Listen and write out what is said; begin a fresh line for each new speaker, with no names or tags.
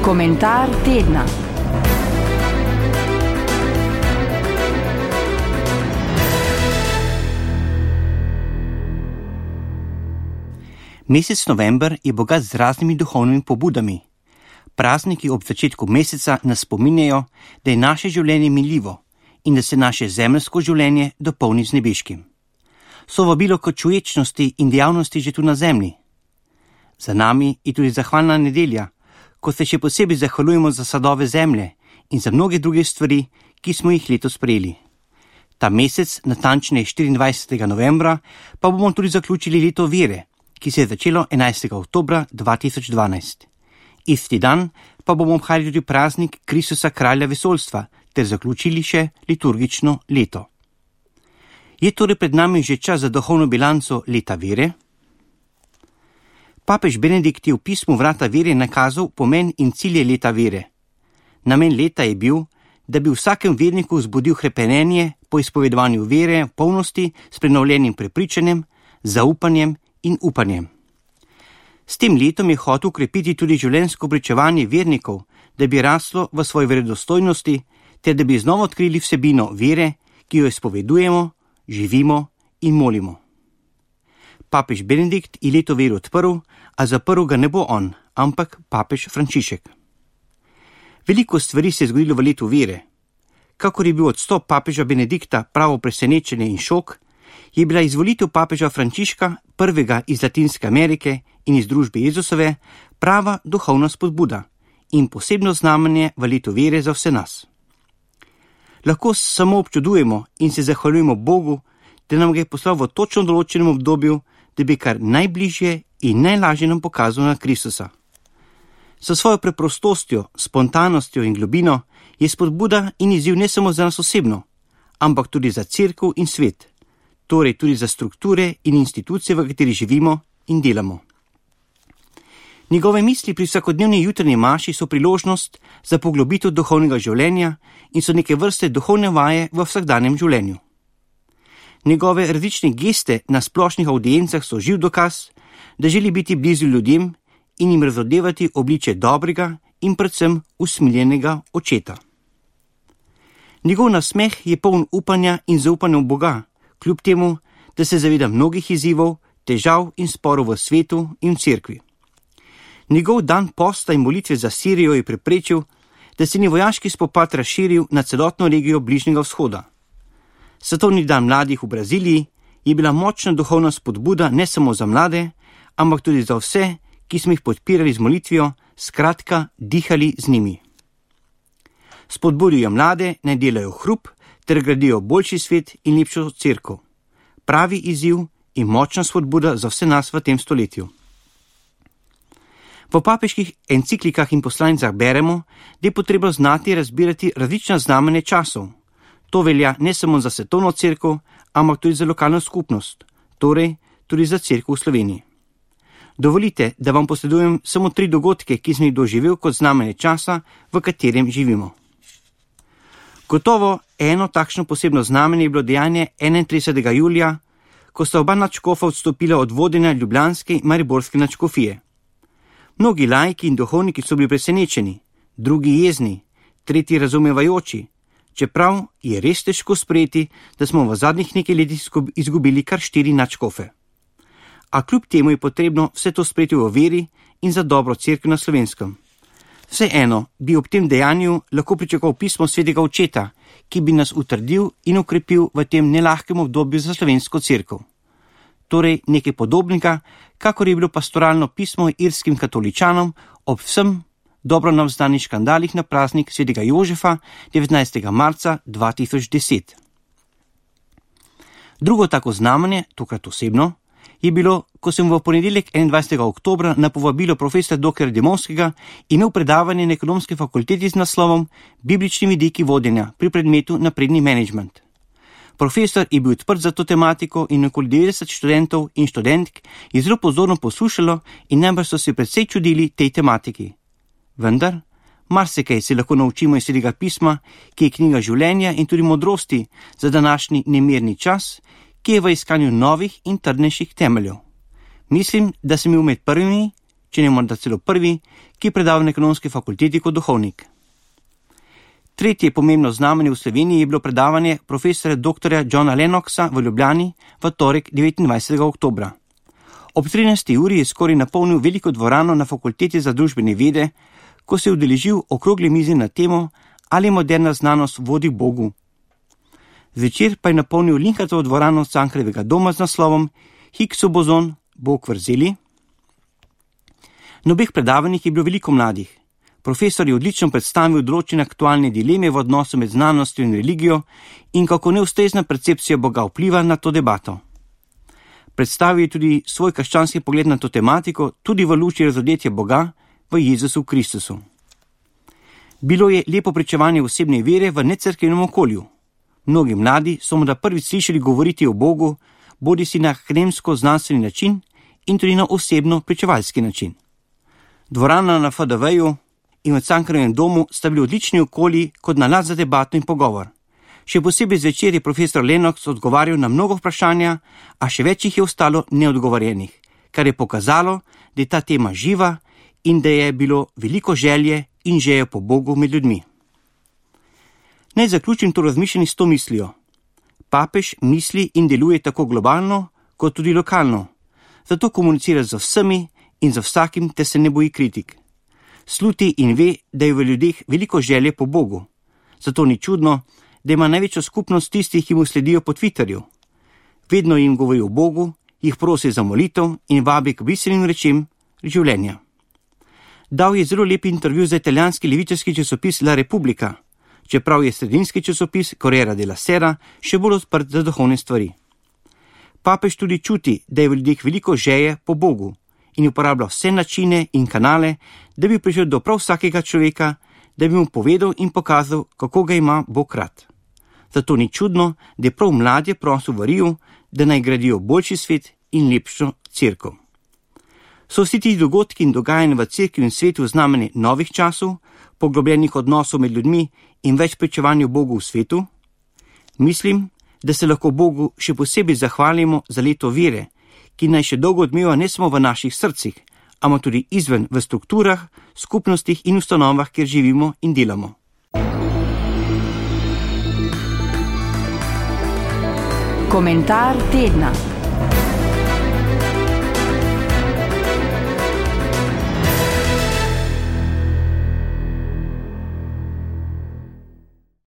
Komentar tedna.
Mesec november je bogat z raznimi duhovnimi pobudami. Prazniki ob začetku meseca nas spominjajo, da je naše življenje minljivo in da se naše zemeljsko življenje dopolni z nebeškim. So vabilo k čuječnosti in dejavnosti že tu na zemlji. Za nami je tudi zahvalna nedelja, ko se še posebej zahvaljujemo za sadove zemlje in za mnoge druge stvari, ki smo jih letos prejeli. Ta mesec, natančneje 24. novembra, pa bomo tudi zaključili leto vere, ki se je začelo 11. oktobra 2012. Isti dan pa bomo obhajali tudi praznik Kristusa kralja vesoljstva ter zaključili še liturgično leto. Je torej pred nami že čas za duhovno bilanco leta vere? Papež Benedikt je v pismu Vrata vere nakazal pomen in cilje leta vere. Namen leta je bil, da bi vsakem verniku vzbudil hrepenenje po izpovedovanju vere v polnosti s prenovljenim prepričanjem, zaupanjem in upanjem. S tem letom je hotel ukrepiti tudi življenjsko pričevanje vernikov, da bi raslo v svoji verodostojnosti ter da bi znova odkrili vsebino vere, ki jo izpovedujemo, živimo in molimo. Papež Benedikt je leto vere odprl, a zaprl ga ne bo on, ampak papež Frančišek. Veliko stvari se je zgodilo v letu vere. Kakor je bil odstop papeža Benedikta pravo presenečenje in šok, je bila izvolitev papeža Frančiška, prvega iz Latinske Amerike in iz družbe Jezusove, prava duhovna spodbuda in posebno znamenje v letu vere za vse nas. Lahko samo občudujemo in se zahvaljujemo Bogu, da nam ga je poslal v točno določenem obdobju, da bi kar najbližje in najlažje nam pokazal na Kristusa. Sa svojo preprostostjo, spontanostjo in globino je spodbuda in izziv ne samo za nas osebno, ampak tudi za cerkev in svet, torej tudi za strukture in institucije, v kateri živimo in delamo. Njegove misli pri vsakodnevni jutranji maši so priložnost za poglobitev duhovnega življenja in so neke vrste duhovne vaje v vsakdanjem življenju. Njegove različne geste na splošnih avdiencah so živ dokaz, da želi biti blizu ljudem in jim razodevati obliče dobrega in predvsem usmiljenega očeta. Njegov nasmeh je poln upanja in zaupanja v Boga, kljub temu, da se zaveda mnogih izzivov, težav in sporov v svetu in v cerkvi. Njegov dan posta in molitve za Sirijo je preprečil, da se ni vojaški spopad razširil na celotno regijo Bližnjega vzhoda. Svetovni dan mladih v Braziliji je bila močna duhovna spodbuda ne samo za mlade, ampak tudi za vse, ki smo jih podpirali z molitvijo, skratka dihali z njimi. Spodbudijo mlade, naj delajo hrup ter gradijo boljši svet in lepšo cerkev. Pravi izziv in močna spodbuda za vse nas v tem stoletju. V papeških enciklikah in poslanicah beremo, da je potrebno znati razbirati različna znamenja časov. To velja ne samo za svetovno cerkev, ampak tudi za lokalno skupnost, torej tudi za cerkev v Sloveniji. Dovolite, da vam posredujem samo 3 dogodke, ki sem jih doživel kot znamenje časa, v katerem živimo. Gotovo eno takšno posebno znamenje je bilo dejanje 31. julija, ko sta oba nadškofa odstopila od vodenja ljubljanske in mariborske nadškofije. Mnogi laiki in duhovniki so bili presenečeni, drugi jezni, tretji razumevajoči, čeprav je res težko sprejeti, da smo v zadnjih nekaj letih izgubili kar 4 nadškofe. A kljub temu je potrebno vse to sprejeti v veri in za dobro cerkev na Slovenskem. Vseeno bi ob tem dejanju lahko pričakoval pismo svetega očeta, ki bi nas utrdil in ukrepil v tem nelahkem obdobju za slovensko cerkev. Torej nekaj podobnega, kakor je bilo pastoralno pismo irskim katoličanom ob vsem dobro nam znanih škandalih na praznik svetega Jožefa 19. marca 2010. Drugo tako znamenje, tokrat osebno, je bilo, ko sem v ponedeljek 21. oktobra na povabilo profesora dr. Demonskega imel predavanje na ekonomski fakulteti z naslovom Biblični vidiki vodenja pri predmetu napredni menedžment. Profesor je bil odprt za to tematiko in okoli 90 študentov in študentk je zelo pozorno poslušalo in najbrž so se precej čudili tej tematiki. Vendar, marsikaj se lahko naučimo iz svetega pisma, ki je knjiga življenja in tudi modrosti za današnji nemirni čas, ki je v iskanju novih in trdnejših temeljev. Mislim, da sem bil med prvimi, če ne morda celo prvi, ki je predaval na Ekonomski fakulteti kot duhovnik. Tretje pomembno znamenje v Sloveniji je bilo predavanje profesorja dr. Johna Lennoxa v Ljubljani v torek 29. oktobra. Ob 13. uri je skoraj napolnil veliko dvorano na Fakulteti za družbene vede, ko se je udeležil okrogle mize na temo, ali moderna znanost vodi k Bogu. Zvečer pa je napolnil Linhartovo dvorano Cankarjevega doma z naslovom Higgsov bozon, Bog vrzeli. Na obeh predavanjih je bilo veliko mladih. Profesor je odlično predstavil določene aktualne dileme v odnosu med znanostjo in religijo in kako neustrezna percepcija Boga vpliva na to debato. Predstavil je tudi svoj krščanski pogled na to tematiko, tudi v luči razodetja Boga v Jezusu Kristusu. Bilo je lepo pričevanje osebne vere v necerkvenem okolju. Mnogi mladi so morda prvič slišali govoriti o Bogu, bodisi na akademsko-znanstveni način in tudi na osebno-pričevalski način. Dvorana na FDV-ju in v Cankarjevem domu sta bili odlični okolji kot nalad za debato in pogovor. Še posebej zvečer je profesor Lennox odgovarjal na mnogo vprašanja, a še več jih je ostalo neodgovorjenih, kar je pokazalo, da je ta tema živa in da je bilo veliko želje in želje po Bogu med ljudmi. Naj zaključim to razmišljanje s to mislijo. Papež misli in deluje tako globalno, kot tudi lokalno. Zato komunicira z vsemi in za vsakim, te se ne boji kritik. Sluti in ve, da je v ljudeh veliko želje po Bogu. Zato ni čudno, da ima največjo skupnost tistih, ki mu sledijo po Twitterju. Vedno jim govori o Bogu, jih prosi za molitev in vabi k bistvenim rečem življenja. Dal je zelo lep intervju za italijanski levičarski časopis La Repubblica, čeprav je sredinski časopis Corriere della Sera še bolj odprt za duhovne stvari. Papež tudi čuti, da je v ljudeh veliko želje po Bogu in uporablja vse načine in kanale, da bi prišel do prav vsakega človeka, da bi mu povedal in pokazal, kako ga ima Bog rad. Zato ni čudno, da je prav mladje prosil v Riju, da naj gradijo boljši svet in lepšo cerkev. So vsi ti dogodki in dogajanja v cerkvi in svetu znamenje novih časov, poglobljenih odnosov med ljudmi in več pričevanju Bogu v svetu? Mislim, da se lahko Bogu še posebej zahvalimo za leto vere, ki naj še dolgo odmeva ne samo v naših srcih, ampak tudi izven v strukturah, skupnostih in ustanovah, kjer živimo in delamo.
Komentar tedna.